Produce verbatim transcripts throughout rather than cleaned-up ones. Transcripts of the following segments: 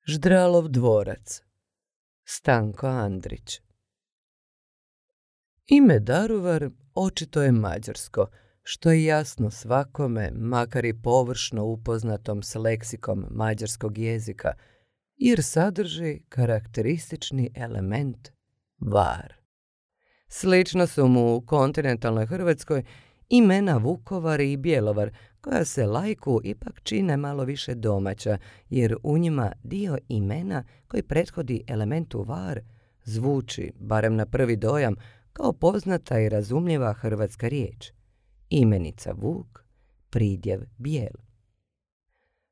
Ždralov dvorac. Stanko Andrić. Ime Daruvar očito je mađarsko, što je jasno svakome, makar i površno upoznatom s leksikom mađarskog jezika, jer sadrži karakteristični element var. Slično su mu u kontinentalnoj Hrvatskoj imena Vukovar i Bjelovar, koja se laiku ipak čine malo više domaća, jer u njima dio imena koji prethodi elementu var zvuči, barem na prvi dojam, kao poznata i razumljiva hrvatska riječ. Imenica Vuk, pridjev Bijel.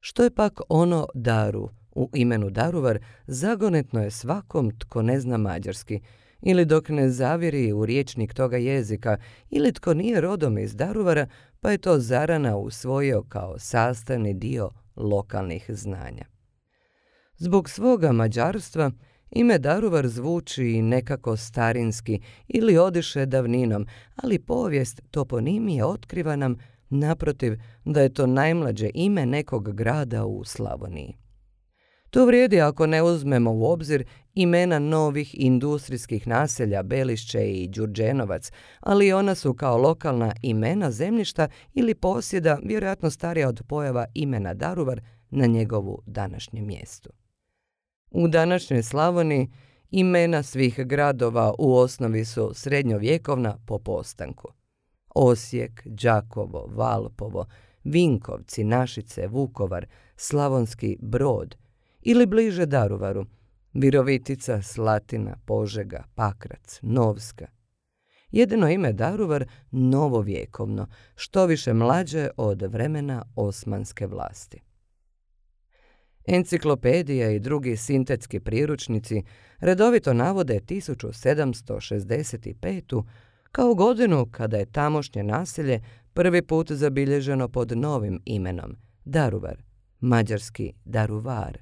Što je pak ono Daru u imenu Daruvar, zagonetno je svakom tko ne zna mađarski, ili dok ne zavjeri u rječnik toga jezika, ili tko nije rodom iz Daruvara, pa je to zarana usvojio kao sastavni dio lokalnih znanja. Zbog svoga mađarstva, ime Daruvar zvuči nekako starinski ili odiše davninom, ali povijest toponimije otkriva nam, naprotiv, da je to najmlađe ime nekog grada u Slavoniji. To vrijedi ako ne uzmemo u obzir imena novih industrijskih naselja Belišće i Đurđenovac, ali ona su kao lokalna imena zemljišta ili posjeda vjerojatno starija od pojava imena Daruvar na njegovu današnjem mjestu. U današnjoj Slavoniji imena svih gradova u osnovi su srednjovjekovna po postanku. Osijek, Đakovo, Valpovo, Vinkovci, Našice, Vukovar, Slavonski Brod, ili bliže Daruvaru, Virovitica, Slatina, Požega, Pakrac, Novska. Jedino ime Daruvar novovjekovno, što više mlađe od vremena osmanske vlasti. Enciklopedija i drugi sintetski priručnici redovito navode tisuću sedamsto šezdeset petu kao godinu kada je tamošnje naselje prvi put zabilježeno pod novim imenom Daruvar, mađarski Daruvar.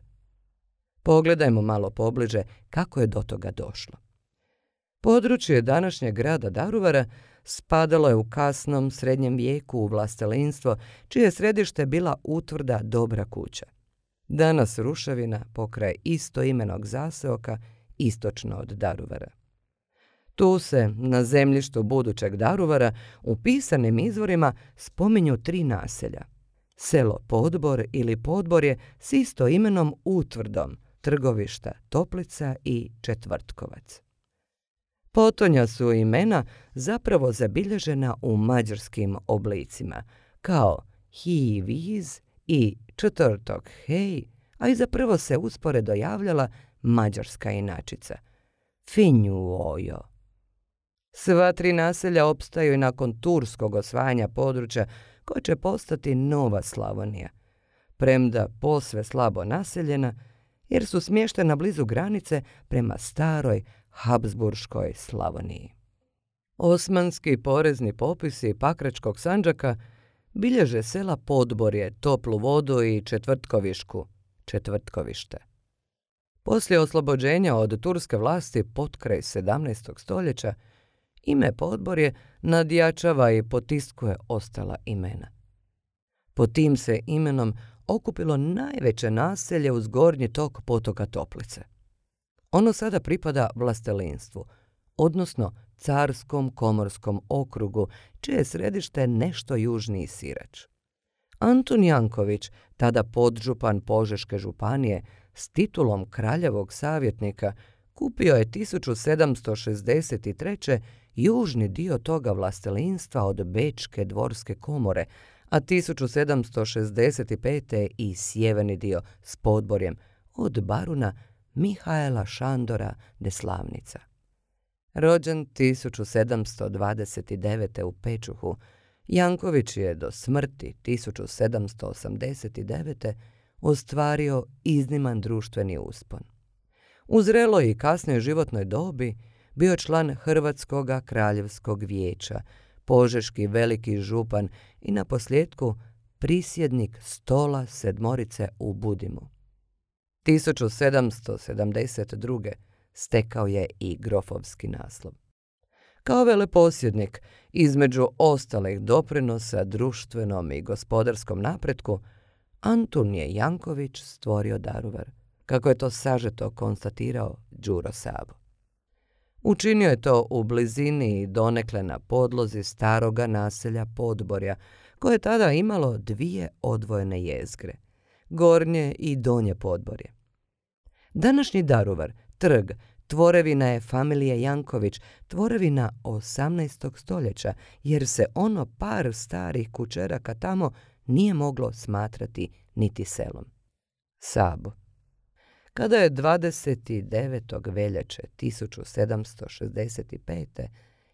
Pogledajmo malo pobliže kako je do toga došlo. Područje današnjeg grada Daruvara spadalo je u kasnom srednjem vijeku u vlastelinstvo, čije središte bila utvrda Dobra kuća. Danas ruševina pokraj istoimenog zaseoka istočno od Daruvara. Tu se, na zemljištu budućeg Daruvara, u pisanim izvorima spominju tri naselja. Selo Podbor ili Podborje s istoimenom utvrdom, Trgovišta, Toplica i Četvrtkovac. Potonja su imena zapravo zabilježena u mađarskim oblicima, kao hi viz i četvrtok hej, a i zapravo se usporedo javljala mađarska inačica, finju ojo. Sva tri naselja opstaju i nakon turskog osvajanja područja koje će postati Nova Slavonija, premda posve slabo naseljena, jer su smještena blizu granice prema staroj Habsburškoj Slavoniji. Osmanski porezni popisi Pakračkog Sandžaka bilježe sela Podborje, Toplu vodu i Četvrtkovišku, Četvrtkovište. Poslije oslobođenja od turske vlasti potkraj sedamnaestog stoljeća, ime Podborje nadjačava i potiskuje ostala imena. Pod tim se imenom okupilo najveće naselje uz gornji tok potoka Toplice. Ono sada pripada vlastelinstvu, odnosno Carskom komorskom okrugu, čije je središte nešto južniji Sirač. Antun Janković, tada podžupan Požeške županije, s titulom kraljevog savjetnika, kupio je tisuću sedamsto šezdeset treće južni dio toga vlastelinstva od Bečke dvorske komore, a tisuću sedamsto šezdeset pete i sjeverni dio s Podborjem od baruna Mihaela Šandora de Slavnica. Rođen tisuću sedamsto dvadeset devete u Pečuhu, Janković je do smrti tisuću sedamsto osamdeset devete ostvario izniman društveni uspon. U zreloj i kasnoj životnoj dobi bio član Hrvatskoga kraljevskog vijeća, požeški veliki župan i naposljetku prisjednik stola sedmorice u Budimu. tisuću sedamsto sedamdeset druge stekao je i grofovski naslov. Kao veleposjednik, između ostalih doprinosa društvenom i gospodarskom napretku, Antun je Janković stvorio Daruvar, kako je to sažeto konstatirao Đuro Sabo. Učinio je to u blizini i donekle na podlozi staroga naselja Podborja, koje je tada imalo dvije odvojene jezgre, Gornje i Donje Podborje. Današnji Daruvar, trg, tvorevina je familije Janković, tvorevina osamnaestog stoljeća, jer se ono par starih kućeraka tamo nije moglo smatrati niti selom. Sabo. Kada je dvadeset devetog veljače tisuću sedamsto šezdeset pete.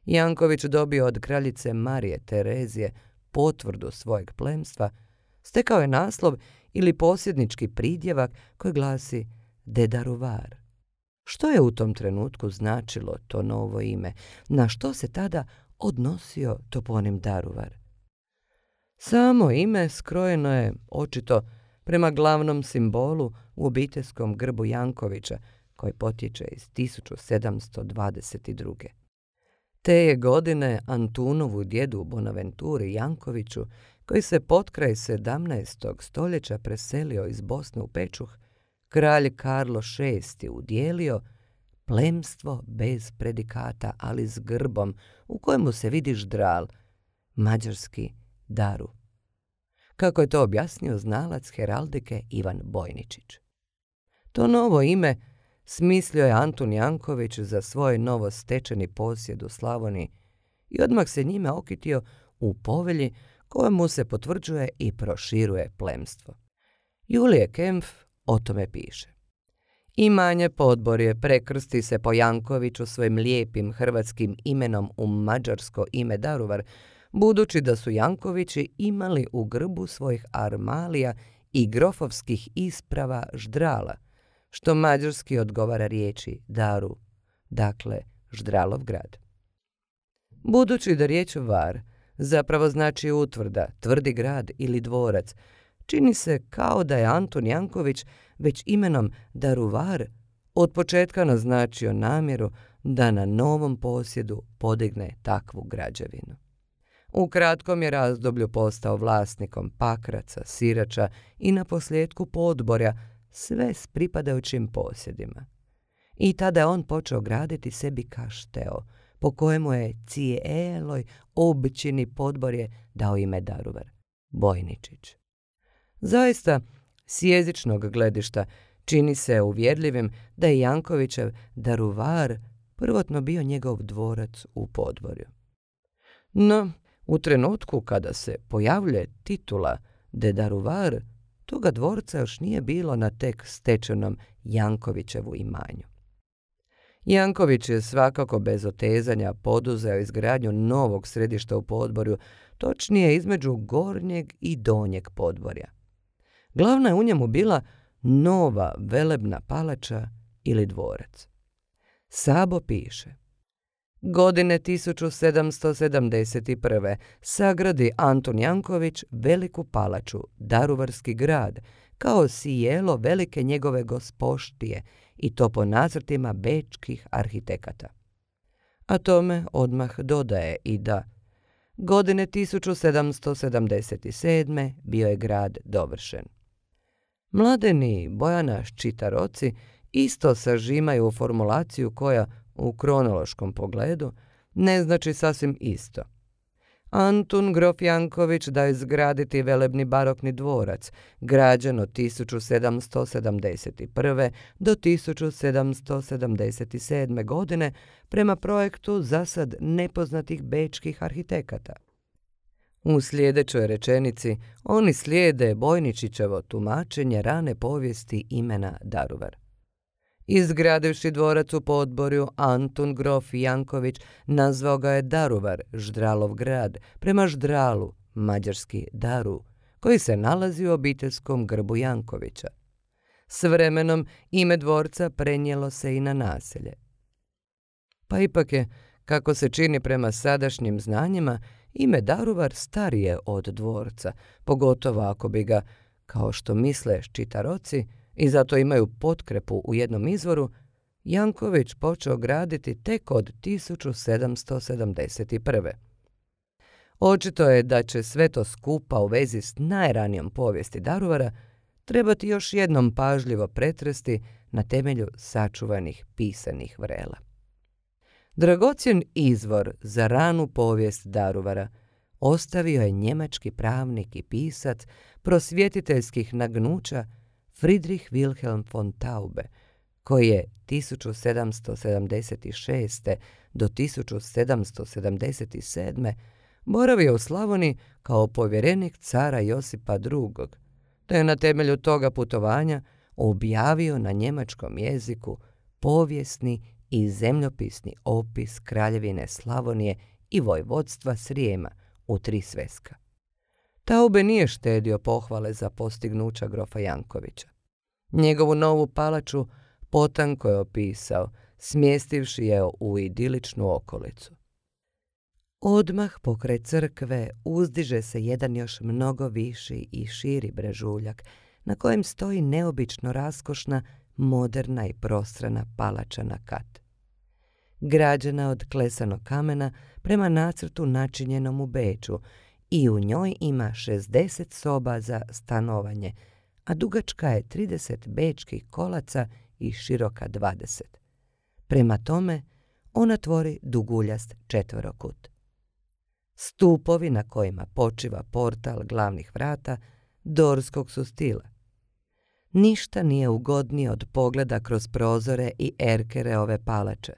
Janković dobio od kraljice Marije Terezije potvrdu svojeg plemstva, stekao je naslov ili posjednički pridjevak koji glasi de Daruvar. Što je u tom trenutku značilo to novo ime? Na što se tada odnosio toponim Daruvar? Samo ime skrojeno je, očito, prema glavnom simbolu u obiteljskom grbu Jankovića, koji potječe iz tisuću sedamsto dvadeset druge. Te je godine Antunovu djedu Bonaventuri Jankoviću, koji se potkraj sedamnaestog stoljeća preselio iz Bosne u Pečuh, kralj Karlo šesti udjelio plemstvo bez predikata, ali s grbom u kojemu se vidi ždral, mađarski daru. Kako je to objasnio znalac heraldike Ivan Bojničić. To novo ime smislio je Antun Janković za svoj novo stečeni posjed u Slavoniji i odmah se njime okitio u povelji kojemu se potvrđuje i proširuje plemstvo. Julije Kempf o tome piše. Imanje Podborje prekrsti se po Jankoviću svojim lijepim hrvatskim imenom u mađarsko ime Daruvar, budući da su Jankovići imali u grbu svojih armalija i grofovskih isprava ždrala, što mađarski odgovara riječi Daru, dakle Ždralov grad. Budući da riječ Var zapravo znači utvrda, tvrdi grad ili dvorac, čini se kao da je Antun Janković već imenom Daruvar od početka naznačio namjeru da na novom posjedu podigne takvu građevinu. U kratkom je razdoblju postao vlasnikom Pakraca, Sirača i naposljetku Podborja, sve s pripadajućim posjedima. I tada je on počeo graditi sebi kašteo, po kojemu je cijeloj općini Podborje dao ime Daruvar, Bojničić. Zaista, s jezičnog gledišta čini se uvjerljivim da je Jankovićev Daruvar prvotno bio njegov dvorac u Podborju. No, u trenutku kada se pojavljuje titula de Daruvar, toga dvorca još nije bilo na tek stečenom Jankovićevu imanju. Janković je svakako bez otezanja poduzeo izgradnju novog središta u Podborju, točnije između Gornjeg i Donjeg Podborja. Glavna je u njemu bila nova velebna palača ili dvorac. Sabo piše: Godine tisuću sedamsto sedamdeset prve. sagradi Antun Janković veliku palaču, Daruvarski grad, kao sijelo velike njegove gospoštije, i to po nacrtima bečkih arhitekata. A tome odmah dodaje i da godine tisuću sedamsto sedamdeset sedme. bio je grad dovršen. Mladeni i Bojana Ščitaroci isto sažimaju u formulaciju koja, u kronološkom pogledu, ne znači sasvim isto. Antun grof Janković da izgraditi velebni barokni dvorac, građen od tisuću sedamsto sedamdeset prve. do tisuću sedamsto sedamdeset sedme. godine prema projektu zasad nepoznatih bečkih arhitekata. U sljedećoj rečenici oni slijede Bojničićevo tumačenje rane povijesti imena Daruvar. Izgradivši dvorac u Podborju, Antun grof Janković nazvao ga je Daruvar, Ždralov grad, prema ždralu, mađarski daru, koji se nalazi u obiteljskom grbu Jankovića. S vremenom ime dvorca prenijelo se i na naselje. Pa ipak je, kako se čini prema sadašnjim znanjima, ime Daruvar starije od dvorca, pogotovo ako bi ga, kao što misle Ščitaroci, i zato imaju potkrepu u jednom izvoru, Janković počeo graditi tek od tisuću sedamsto sedamdeset prve. Očito je da će sve to skupa u vezi s najranijom povijesti Daruvara trebati još jednom pažljivo pretresti na temelju sačuvanih pisanih vrela. Dragocjen izvor za ranu povijest Daruvara ostavio je njemački pravnik i pisac prosvjetiteljskih nagnuća Friedrich Wilhelm von Taube, koji je tisuću sedamsto sedamdeset šeste. do tisuću sedamsto sedamdeset sedme. boravio u Slavoniji kao povjerenik cara Josipa drugog, te je na temelju toga putovanja objavio na njemačkom jeziku povijesni i zemljopisni opis Kraljevine Slavonije i vojvodstva Srijema u tri sveska. Taube nije štedio pohvale za postignuća grofa Jankovića. Njegovu novu palaču potanko je opisao, smjestivši je u idiličnu okolicu. Odmah pokraj crkve uzdiže se jedan još mnogo viši i širi brežuljak, na kojem stoji neobično raskošna, moderna i prostrana palača na kat. Građena od klesanog kamena prema nacrtu načinjenom u Beču i u njoj ima šezdeset soba za stanovanje, a dugačka je trideset bečkih kolaca i široka dvadeset. Prema tome, ona tvori duguljast četverokut. Stupovi na kojima počiva portal glavnih vrata dorskog su stila. Ništa nije ugodnije od pogleda kroz prozore i erkere ove palače.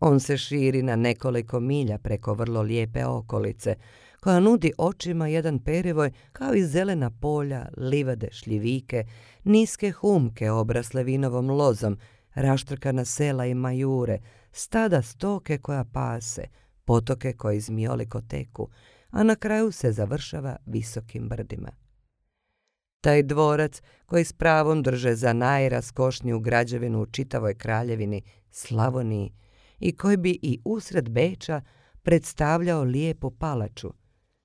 On se širi na nekoliko milja preko vrlo lijepe okolice, koja nudi očima jedan perivoj kao i zelena polja, livade, šljivike, niske humke obrasle vinovom lozom, raštrkana sela i majure, stada stoke koja pase, potoke koji zmijoliko teku, a na kraju se završava visokim brdima. Taj dvorac, koji s pravom drže za najraskošniju građevinu u čitavoj kraljevini Slavoniji i koji bi i usred Beča predstavljao lijepu palaču,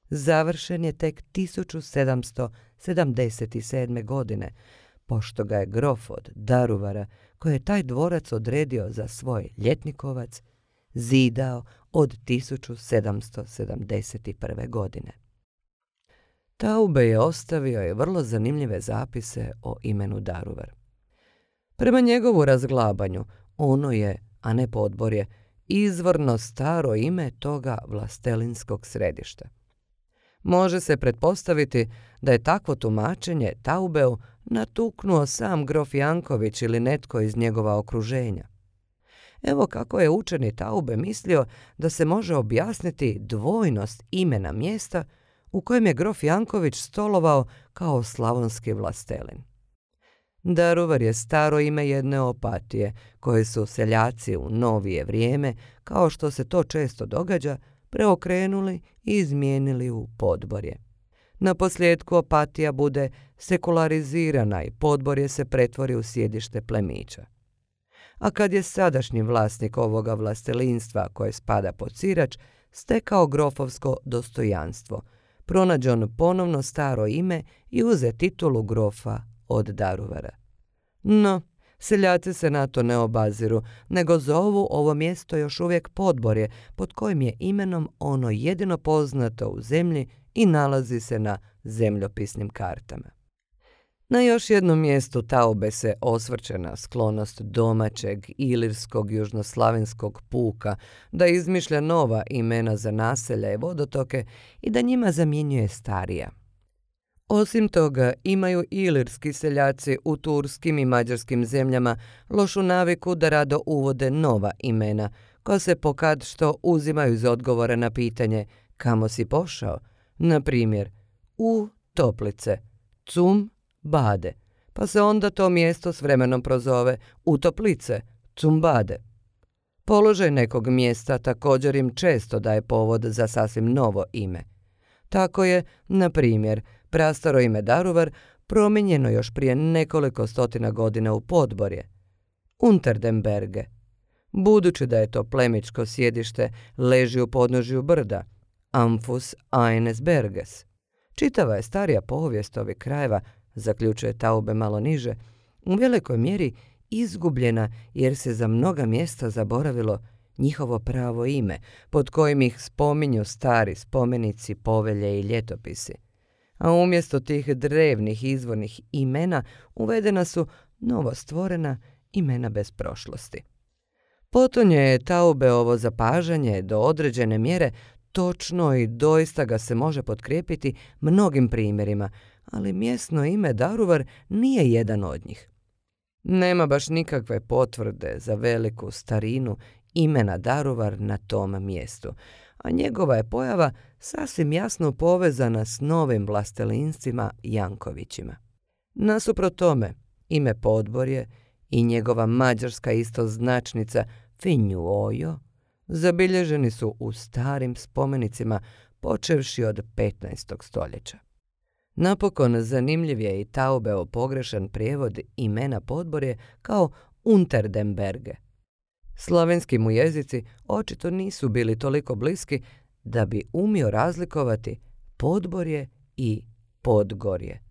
završen je tek tisuću sedamsto sedamdeset sedme. godine, pošto ga je grof od Daruvara, koji je taj dvorac odredio za svoj ljetnikovac, zidao od tisuću sedamsto sedamdeset prve. godine. Taube je ostavio i vrlo zanimljive zapise o imenu Daruvar. Prema njegovu razglabanju, ono je, a ne podborje, izvorno staro ime toga vlastelinskog središta. Može se pretpostaviti da je takvo tumačenje Taubeu natuknuo sam grof Janković ili netko iz njegova okruženja. Evo kako je učeni Taube mislio da se može objasniti dvojnost imena mjesta u kojem je grof Janković stolovao kao slavonski vlastelin. Daruvar je staro ime jedne Opatije, koje su seljaci u novije vrijeme, kao što se to često događa, preokrenuli i izmijenili u podborje. Na posljedku Opatija bude sekularizirana i podborje se pretvori u sjedište plemića. A kad je sadašnji vlasnik ovoga vlastelinstva, koje spada pod Sirač, stekao grofovsko dostojanstvo, pronađe on ponovno staro ime i uze titulu grofa od Daruvara. No, seljaci se na to ne obaziru, nego zovu ovo mjesto još uvijek podborje, pod kojim je imenom ono jedino poznato u zemlji i nalazi se na zemljopisnim kartama. Na još jednom mjestu Taube se osvrće na sklonost domaćeg ilirskog južnoslavenskog puka da izmišlja nova imena za naselja i vodotoke i da njima zamjenjuje starija. Osim toga, imaju ilirski seljaci u turskim i mađarskim zemljama lošu naviku da rado uvode nova imena, koja se pokad što uzimaju iz odgovora na pitanje kamo si pošao, na primjer u Toplice, cum Bade, pa se onda to mjesto s vremenom prozove u Toplice, Cumbade. Položaj nekog mjesta također im često daje povod za sasvim novo ime. Tako je, na primjer, prastaro ime Daruvar promijenjeno još prije nekoliko stotina godina u podborje, Unterdenberge. Budući da je to plemičko sjedište leži u podnožju brda, Amfus eines Berges. Čitava je starija povijest ovih krajeva, zaključuje Taube malo niže, u velikoj mjeri izgubljena jer se za mnoga mjesta zaboravilo njihovo pravo ime, pod kojim ih spominju stari spomenici, povelje i ljetopisi. a umjesto tih drevnih izvornih imena uvedena su novostvorena imena bez prošlosti. Potonje je Taubeovo zapažanje do određene mjere točno i doista ga se može potkrijepiti mnogim primjerima, ali mjesno ime Daruvar nije jedan od njih. Nema baš nikakve potvrde za veliku starinu imena Daruvar na tom mjestu, a njegova je pojava sasvim jasno povezana s novim vlastelinstvima Jankovićima. Nasuprot tome, ime Podborje i njegova mađarska istoznačnica Finjuojo zabilježeni su u starim spomenicima počevši od petnaestog stoljeća. Napokon zanimljiv je i Taubeov pogrešan prijevod imena Podborje kao Unterdenberge. Slavenski mu jezici očito nisu bili toliko bliski da bi umio razlikovati Podborje i Podgorje.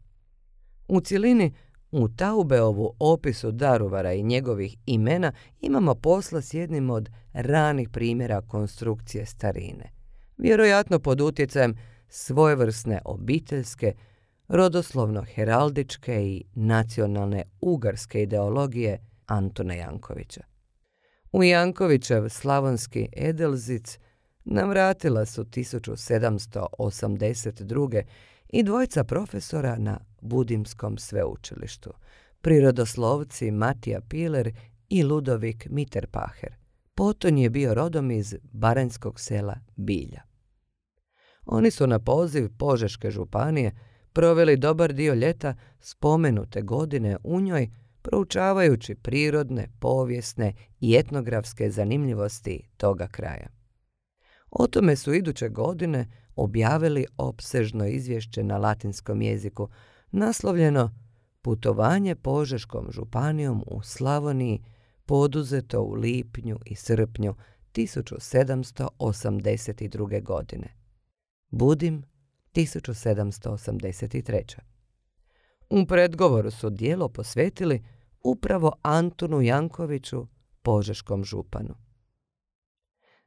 U cjelini, u Taubeovu opisu Daruvara i njegovih imena imamo posla s jednim od ranih primjera konstrukcije starine, vjerojatno pod utjecajem svojevrsne obiteljske, rodoslovno-heraldičke i nacionalne ugarske ideologije Antuna Jankovića. U Jankovićev slavonski Edelzic navratila su tisuću sedamsto osamdeset druge i dvojca profesora na Budimskom sveučilištu, prirodoslovci Matija Piler i Ludovik Mitterpacher. Poton je bio rodom iz baranjskog sela Bilja. Oni su na poziv Požeške županije proveli dobar dio ljeta spomenute godine u njoj, proučavajući prirodne, povijesne i etnografske zanimljivosti toga kraja. O tome su iduće godine objavili opsežno izvješće na latinskom jeziku, naslovljeno Putovanje Požeškom županijom u Slavoniji, poduzeto u lipnju i srpnju tisuću sedamsto osamdeset druge. godine. Budim, tisuću sedamsto osamdeset treće. U predgovoru su djelo posvetili upravo Antunu Jankoviću, požeškom županu.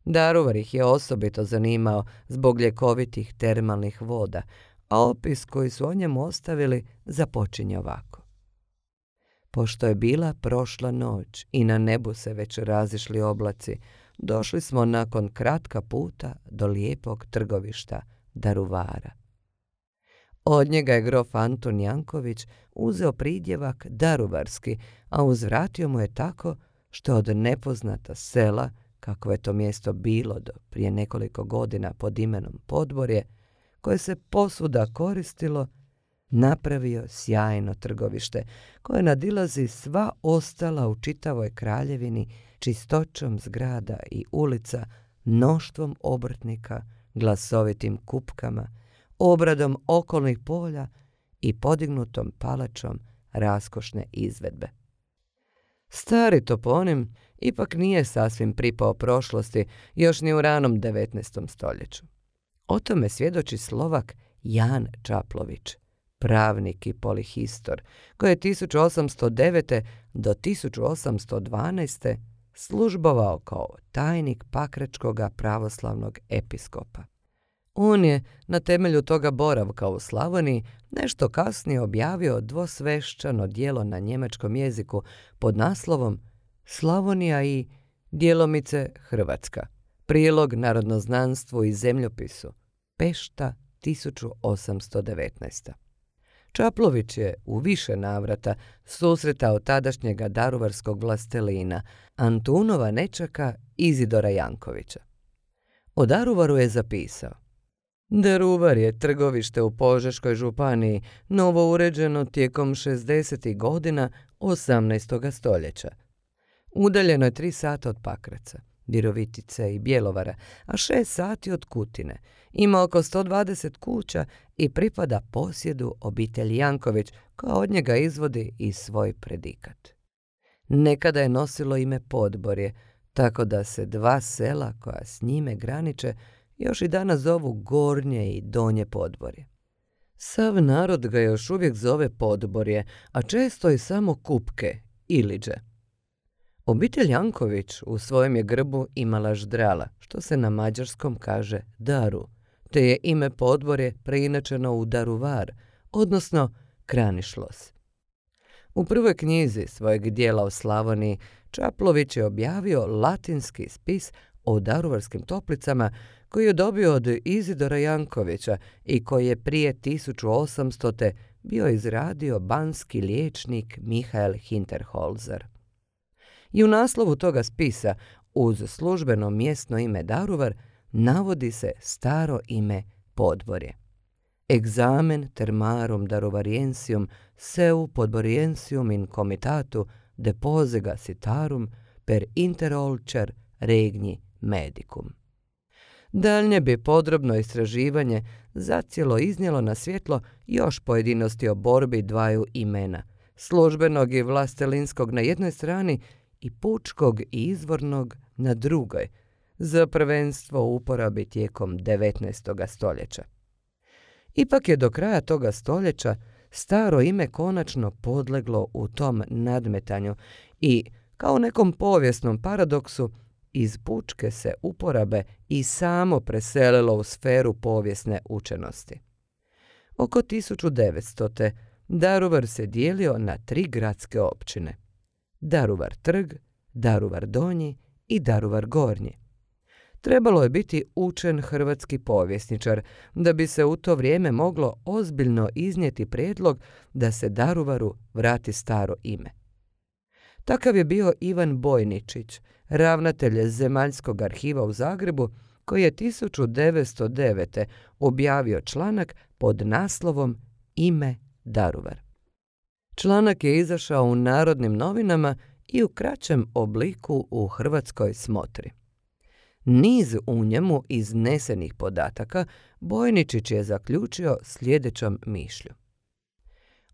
Daruvar ih je osobito zanimao zbog ljekovitih termalnih voda, a opis koji su o njemu ostavili započinje ovako. Pošto je bila prošla noć i na nebu se već razišli oblaci, došli smo nakon kratka puta do lijepog trgovišta Daruvara. Od njega je grof Antun Janković uzeo pridjevak daruvarski, a uzvratio mu je tako što od nepoznata sela, kako je to mjesto bilo do prije nekoliko godina pod imenom Podborje, koje se posvuda koristilo, napravio sjajno trgovište koje nadilazi sva ostala u čitavoj kraljevini čistoćom zgrada i ulica, mnoštvom obrtnika, glasovitim kupkama, obradom okolnih polja i podignutom palačom raskošne izvedbe. Stari toponim ipak nije sasvim pripao prošlosti još ni u ranom devetnaestom stoljeću. O tome svjedoči Slovak Jan Čaplović, pravnik i polihistor, koji je tisuću osamsto devete. do tisuću osamsto dvanaeste. službovao kao tajnik pakračkoga pravoslavnog episkopa. On je na temelju toga boravka u Slavoniji nešto kasnije objavio dvosvešćano djelo na njemačkom jeziku pod naslovom Slavonija i djelomice Hrvatska, prilog narodnoznanstvu i zemljopisu, Pešta, tisuću osamsto devetnaeste. Čaplović je u više navrata susretao tadašnjega daruvarskog vlastelina, Antunova nečaka Izidora Jankovića. O Daruvaru je zapisao: Daruvar je trgovište u Požeškoj županiji, novo uređeno tijekom šezdesetih godina osamnaestog stoljeća. Udaljeno je tri sata od Pakraca, Virovitice i Bjelovara, a šest sati od Kutine. Ima oko sto dvadeset kuća i pripada posjedu obitelji Janković, koja od njega izvodi i svoj predikat. Nekada je nosilo ime Podborje, tako da se dva sela koja s njime graniče još i danas zovu Gornje i Donje Podborje. Sav narod ga još uvijek zove Podborje, a često i samo Kupke, Iliđe. Obitelj Janković u svojem je grbu imala ždrala, što se na mađarskom kaže daru, te je ime podvorje preinačeno u Daruvar, odnosno Kranišlos. U prvoj knjizi svojeg dijela o Slavoniji Čaplović je objavio latinski spis o Daruvarskim toplicama koji je dobio od Izidora Jankovića i koji je prije tisuću osamstote. bio izradio banski liječnik Mihael Hinterholzer. I u naslovu toga spisa, uz službeno mjesno ime Daruvar, navodi se staro ime Podvorje. Examen termarum daruvariensium seu podboriensium in comitatu deposega citarum per interolcer regni medicum. Daljnje bi podrobno istraživanje zacijelo iznijelo na svjetlo još pojedinosti o borbi dvaju imena, službenog i vlastelinskog na jednoj strani i pučkog i izvornog na drugoj, za prvenstvo u uporabi tijekom devetnaestog stoljeća. Ipak je do kraja toga stoljeća staro ime konačno podleglo u tom nadmetanju i, kao nekom povijesnom paradoksu, iz pučke se uporabe i samo preselilo u sferu povijesne učenosti. Oko tisuću devetstote. Daruvar se dijelio na tri gradske općine: Daruvar Trg, Daruvar Donji i Daruvar Gornji. Trebalo je biti učen hrvatski povjesničar da bi se u to vrijeme moglo ozbiljno iznijeti prijedlog da se Daruvaru vrati staro ime. Takav je bio Ivan Bojničić, ravnatelj Zemaljskog arhiva u Zagrebu, koji je tisuću devetsto devete. objavio članak pod naslovom Ime Daruvar. Članak je izašao u Narodnim novinama i u kraćem obliku u Hrvatskoj smotri. Niz u njemu iznesenih podataka Bojničić je zaključio sljedećom mišlju.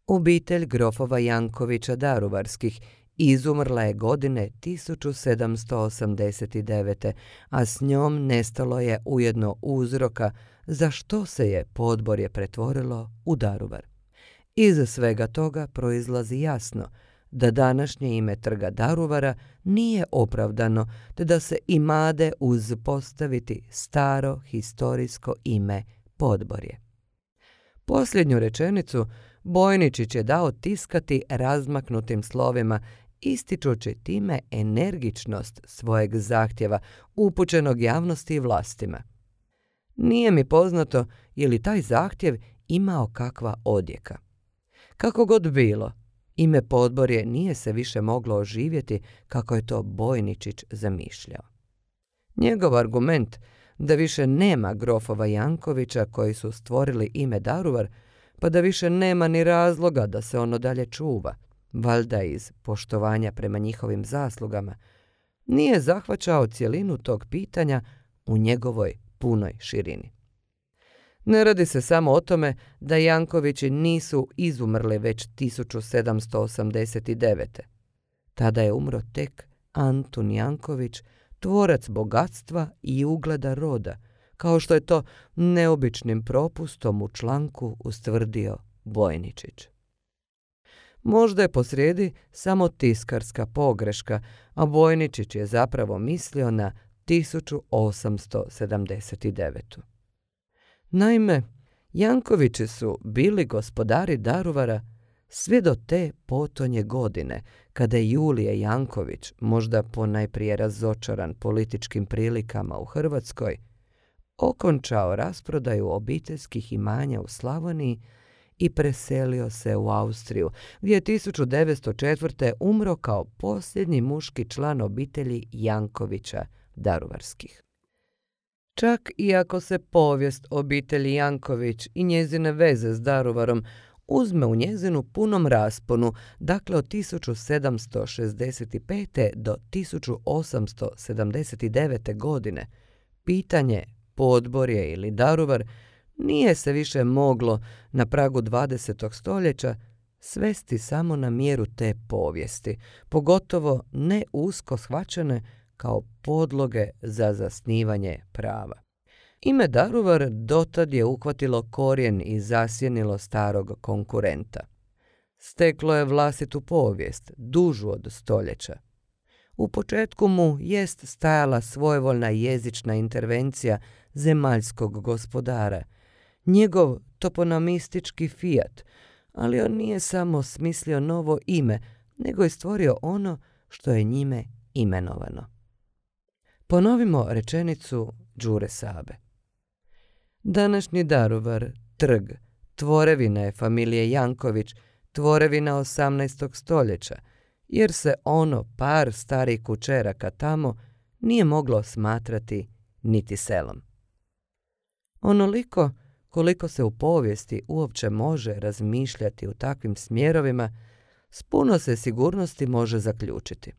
Obitelj grofova Jankovića Daruvarskih izumrla je godine tisuću sedamsto osamdeset devete. a s njom nestalo je ujedno uzroka za što se je Podvorje pretvorilo u Daruvar. Iz svega toga proizlazi jasno da današnje ime trga Daruvara nije opravdano, te da se imade uz postaviti staro historijsko ime Podvorje. Posljednju rečenicu Bojničić je dao tiskati razmaknutim slovima, ističući time energičnost svojeg zahtjeva upućenog javnosti i vlastima. Nije mi poznato je li taj zahtjev imao kakva odjeka. Kako god bilo, ime Podvorje nije se više moglo oživjeti kako je to Bojničić zamišljao. Njegov argument da više nema grofova Jankovića koji su stvorili ime Daruvar, pa da više nema ni razloga da se ono dalje čuva, valjda iz poštovanja prema njihovim zaslugama, nije zahvaćao cjelinu tog pitanja u njegovoj punoj širini. Ne radi se samo o tome da Jankovići nisu izumrli već tisuću sedamsto osamdeset devete. Tada je umro tek Antun Janković, tvorac bogatstva i ugleda roda, kao što je to neobičnim propustom u članku ustvrdio Bojničić. Možda je posrijedi samo tiskarska pogreška, a Bojničić je zapravo mislio na tisuću osamsto sedamdeset devetu. Naime, Jankovići su bili gospodari Daruvara sve do te potonje godine, kada je Julije Janković, možda ponajprije razočaran političkim prilikama u Hrvatskoj, okončao rasprodaju obiteljskih imanja u Slavoniji i preselio se u Austriju, gdje je tisuću devetsto četvrte. umro kao posljednji muški član obitelji Jankovića Daruvarskih. Čak i ako se povijest obitelji Janković i njezine veze s Daruvarom uzme u njezinu punom rasponu, dakle od tisuću sedamsto šezdeset pete. do tisuću osamsto sedamdeset devete. godine, pitanje Podvorje ili Daruvar nije se više moglo na pragu dvadesetog stoljeća svesti samo na mjeru te povijesti, pogotovo ne usko shvaćene kao podloge za zasnivanje prava. Ime Daruvar dotad je uhvatilo korijen i zasjenilo starog konkurenta. Steklo je vlastitu povijest, dužu od stoljeća. U početku mu jest stajala svojevoljna jezična intervencija zemaljskog gospodara, njegov toponimistički Fiat, ali on nije samo smislio novo ime, nego je stvorio ono što je njime imenovano. Ponovimo rečenicu Đure Sabe. Današnji Daruvar, trg, tvorevina je familije Janković, tvorevina osamnaestog stoljeća, jer se ono par starih kućeraka tamo nije moglo smatrati niti selom. Onoliko koliko se u povijesti uopće može razmišljati u takvim smjerovima, s puno se sigurnosti može zaključiti.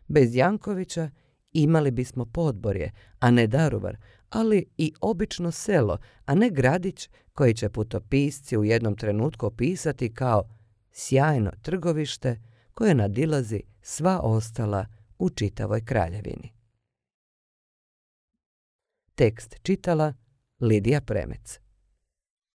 Bez Jankovića imali bismo Podborje, a ne Daruvar, ali i obično selo, a ne gradić koji će putopisci u jednom trenutku opisati kao sjajno trgovište koje nadilazi sva ostala u čitavoj kraljevini. Tekst čitala Lidija Premec.